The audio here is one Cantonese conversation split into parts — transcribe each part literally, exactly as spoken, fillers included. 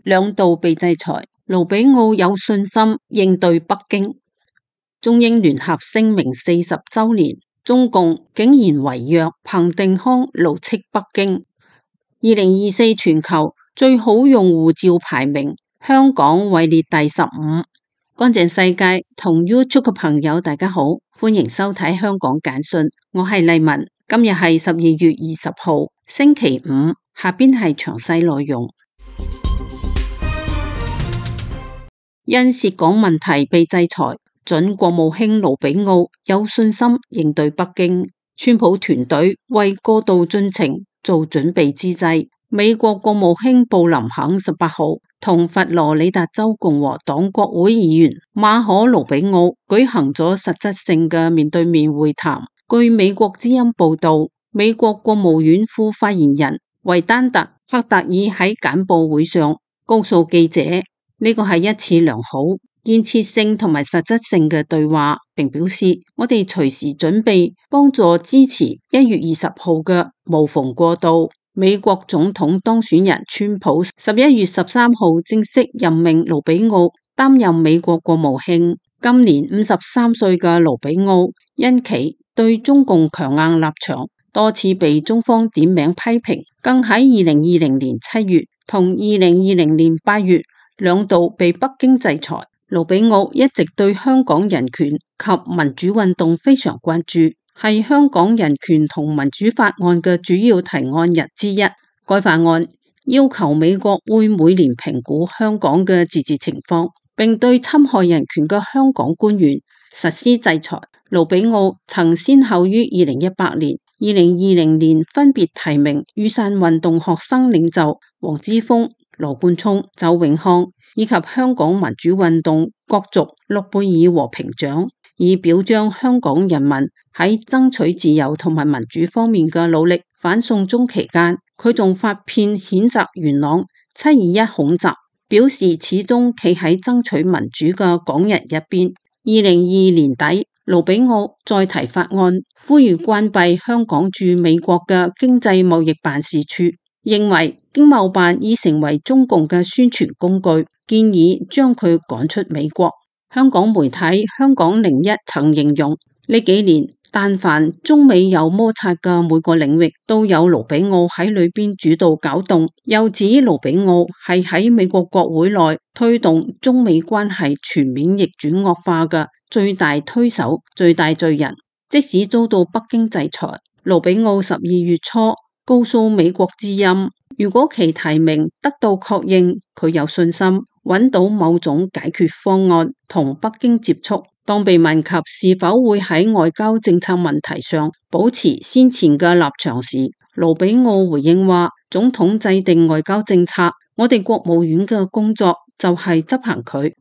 兩度被制裁，盧比奧有信心應對北京。中英聯合聲明四十週年，中共竟然違約，彭定康怒斥北京。二零二四全球最好用護照排名，香港位列第十五。乾淨世界同 YouTube 嘅朋友大家好，歡迎收睇香港簡訊，我係麗文。今日係十二月二十號星期五，下邊係詳細內容。因涉港問題被制裁，準國務卿盧比奧有信心應對北京。川普團隊為過渡進程做準備之際，美國國務卿布林肯十八號同佛羅里達州共和黨國會議員馬可盧比奧舉行咗實質性嘅面對面會談。據美國之音報道，美國國務院副發言人維丹特·赫特爾喺簡報會上告訴記者，呢個係一次良好、建設性同埋實質性嘅對話，並表示我哋隨時準備幫助支持一月二十號嘅無縫過渡。美國總統當選人川普十一月十三號正式任命盧比奧擔任美國國務卿。今年五十三歲嘅盧比奧因其對中共強硬立場，多次被中方點名批評，更喺二零二零年七月同二零二零年八月兩度被北京制裁。盧比奧一直對香港人權及民主運動非常關注，係香港人權同民主法案嘅主要提案人之一。該法案要求美國會每年評估香港嘅自治情況，並對侵害人權嘅香港官員實施制裁。盧比奧曾先後於二零一八年、二零二零年分別提名雨傘運動學生領袖黃之鋒、羅冠聰、周永康以及香港民主運動角逐諾貝爾和平獎，以表彰香港人民喺爭取自由同埋民主方面嘅努力。反送中期間，佢仲發片譴責元朗七二一恐襲，表示始終企喺爭取民主嘅港人一邊。二零二二年底，盧比奧再提法案，呼籲關閉香港駐美國嘅經濟貿易辦事處，認為經貿辦已成為中共嘅宣傳工具，建議將佢趕出美國。香港媒體香港零一曾形容，呢幾年但凡中美有摩擦嘅每個領域，都有盧比奧喺裏邊主導搞動。又指盧比奧係喺美國國會內推動中美關係全面逆轉惡化嘅最大推手、最大罪人。即使遭到北京制裁，盧比奧十二月初告訴美國之音，如果其提名得到確認，佢有信心揾到某種解決方案同北京接觸。當被問及是否會喺外交政策問題上保持先前嘅立場時，盧比奧回應話，總統制定外交政策，我哋國務院嘅工作就係執行佢。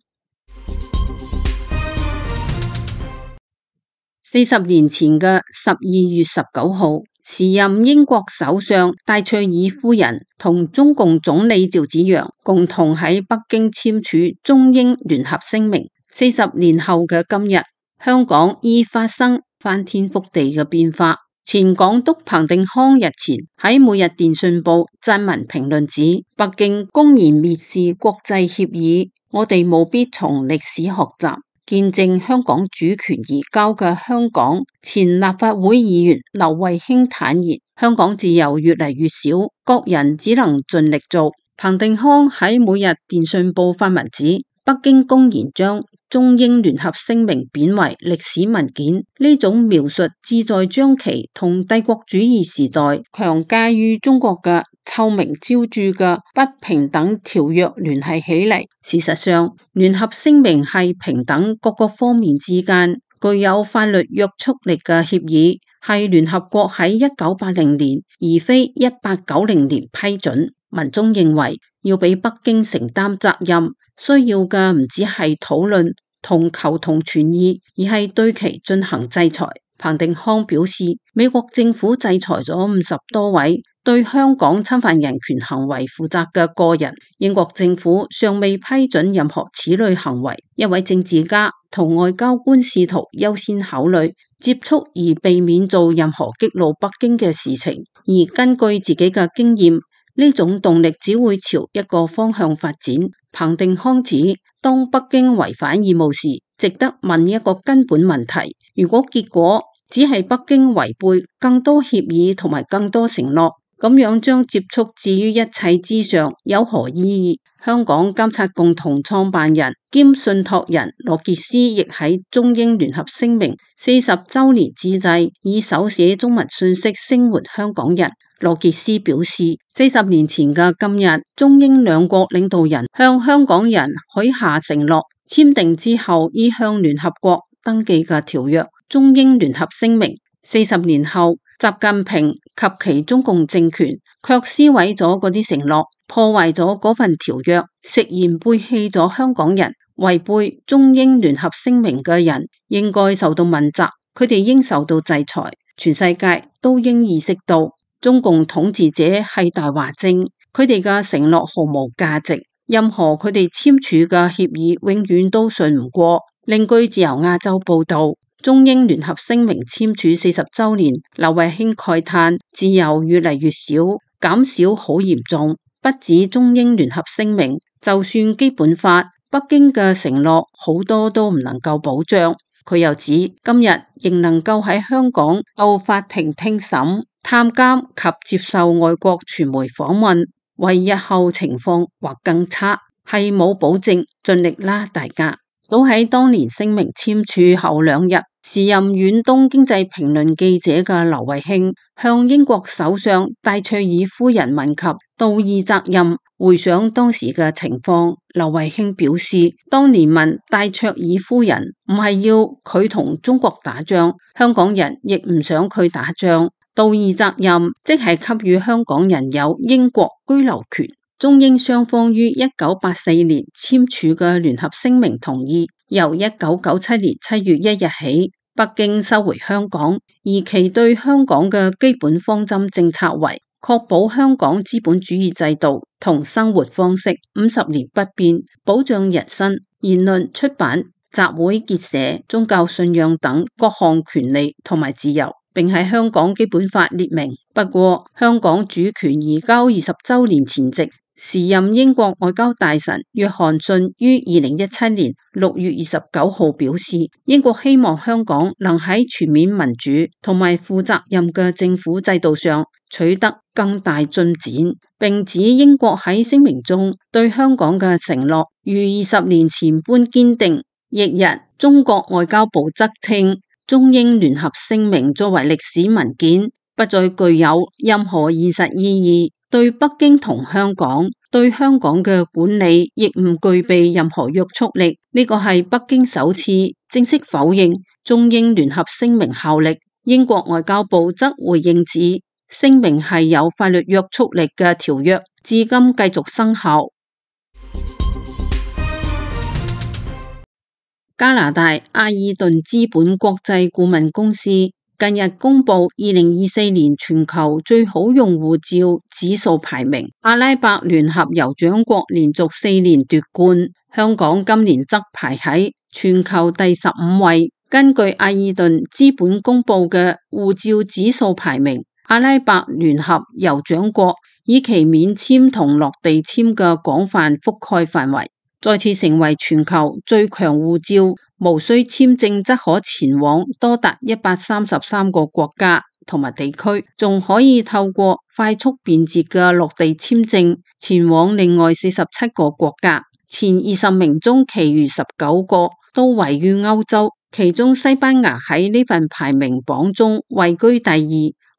四十年前嘅十二月十九號，時任英國首相戴卓爾夫人同中共總理趙紫陽共同喺北京簽署中英聯合聲明。四十年後嘅今日，香港已發生翻天覆地嘅變化。前港督彭定康日前喺每日電訊報撰文評論指，北京公然蔑視國際協議，我哋務必從歷史學習，見證香港主權移交嘅香港前立法會議員劉慧卿坦言，香港自由越嚟越少，各人只能盡力做。彭定康喺每日電訊報發文指，北京公然將中英聯合聲明貶為歷史文件，呢種描述旨在將其同帝國主義時代強加於中國嘅臭名昭著嘅不平等條約聯繫起嚟。事實上，聯合聲明係平等各個方面之間具有法律約束力嘅協議，係聯合國喺一九八零年而非一八九零年批准。文中認為要俾北京承擔責任，需要嘅唔只係討論同求同存異，而係對其進行制裁。彭定康表示，美國政府制裁咗五十多位對香港侵犯人權行為負責嘅個人，英國政府尚未批准任何此類行為。一位政治家同外交官試圖優先考慮接觸而避免做任何激怒北京嘅事情，而根據自己嘅經驗，呢種動力只會朝一個方向發展。彭定康指，當北京違反義務時，值得問一個根本問題：如果結果只係北京違背更多協議同埋更多承諾，咁樣將接觸置於一切之上，有何意義？香港監察共同創辦人兼信託人羅傑斯亦喺中英聯合聲明四十週年之際，以手寫中文信息聲援香港人。羅傑斯表示，四十年前嘅今日，中英兩國領導人向香港人許下承諾，簽訂之後已向聯合國登記嘅條約《中英聯合聲明》。四十年後，習近平及其中共政權卻撕毀咗嗰啲承諾，破壞咗嗰份條約，食言背棄咗香港人，違背中英聯合聲明嘅人應該受到問責，佢哋應受到制裁。全世界都應意識到，中共統治者係大話精，佢哋嘅承諾毫無價值，任何佢哋簽署嘅協議永遠都信唔過。另據自由亞洲報道，中英聯合聲明簽署四十週年，劉慧卿慨嘆自由越嚟越少，減少好嚴重。不止中英聯合聲明，就算基本法，北京嘅承諾好多都唔能夠保障。佢又指今日仍能夠喺香港到法庭聽審、探監及接受外國傳媒訪問，為日後情況或更差係冇保證，盡力啦大家。早喺當年聲明簽署後兩日，時任遠東經濟評論記者嘅劉慧卿向英國首相戴卓爾夫人問及道義責任。回想當時嘅情況，劉慧卿表示，當年問戴卓爾夫人唔係要佢同中國打仗，香港人亦唔想佢打仗。道義責任即係給予香港人有英國居留權。中英雙方於一九八四年簽署嘅聯合聲明同意，由一九九七年七月一日起，北京收回香港，而其對香港嘅基本方針政策為確保香港資本主義制度同生活方式五十年不變，保障人身、言論、出版、集會、結社、宗教信仰等各項權利同埋自由，並喺香港基本法列明。不過，香港主權移交二十週年前夕，時任英國外交大臣約翰遜於二零一七年六月二十九號表示，英國希望香港能喺全面民主同埋負責任嘅政府制度上取得更大進展，並指英國喺聲明中對香港嘅承諾如二十年前般堅定。翌日，中國外交部則稱，中英聯合聲明作為歷史文件，不再具有任何現實意義，對北京同香港對香港嘅管理亦唔具備任何約束力。呢個係北京首次正式否認中英聯合聲明效力。英國外交部則回應指，聲明係有法律約束力嘅條約，至今繼續生效。加拿大阿爾頓資本國際顧問公司近日公布二零二四年全球最好用戶照指數排名，阿拉伯聯合酋長國連續四年奪冠，香港今年則排喺全球第十五位。根據阿爾頓資本公布嘅護照指數排名，阿拉伯聯合酋長國以其免簽同落地簽嘅廣泛覆蓋範圍，再次成為全球最強護照，無需簽證則可前往多達一百三十三個國家同埋地區，仲可以透過快速便捷嘅落地簽證前往另外四十七個國家。前二十名中，其餘十九個都位於歐洲，其中西班牙喺呢份排名榜中位居第二，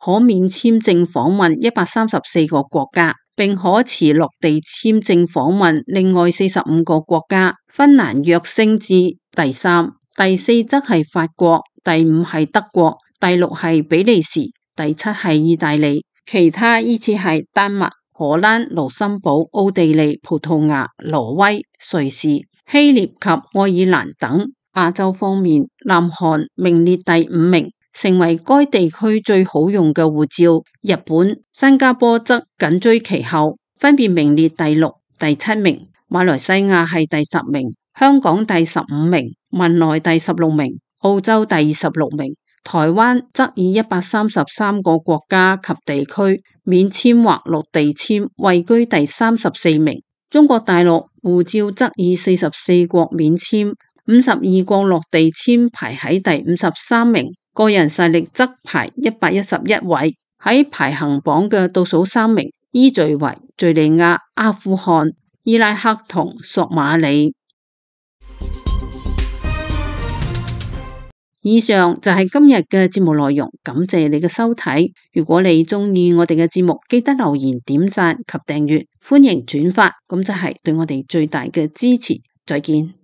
可免簽證訪問一百三十四個國家，並可持落地簽證訪問另外四十五個國家。芬蘭躍升至第三，第四則係法國，第五係德國，第六係比利時，第七係意大利，其他依次係丹麥、荷蘭、盧森堡、奧地利、葡萄牙、挪威、瑞士、希臘及愛爾蘭等。亞洲方面，南韓名列第五名，成為該地區最好用嘅護照。日本、新加坡則緊追其後，分別名列第六、第七名。馬來西亞係第十名，香港第十五名，文萊第十六名，澳洲第二十六名。台灣則以一百三十三個國家及地區免簽或陸地簽位居第三十四名。中國大陸護照則以四十四國免簽、五十二國陸地簽排喺第五十三名。個人實力則排一百一十一位，喺排行榜嘅倒數三名，依序為敘利亞、阿富汗、伊拉克同索馬里。以上就係今日嘅節目內容，感謝你嘅收睇。如果你中意我哋嘅節目，記得留言、點讚及訂閱，歡迎轉發，咁就係對我哋最大嘅支持。再見。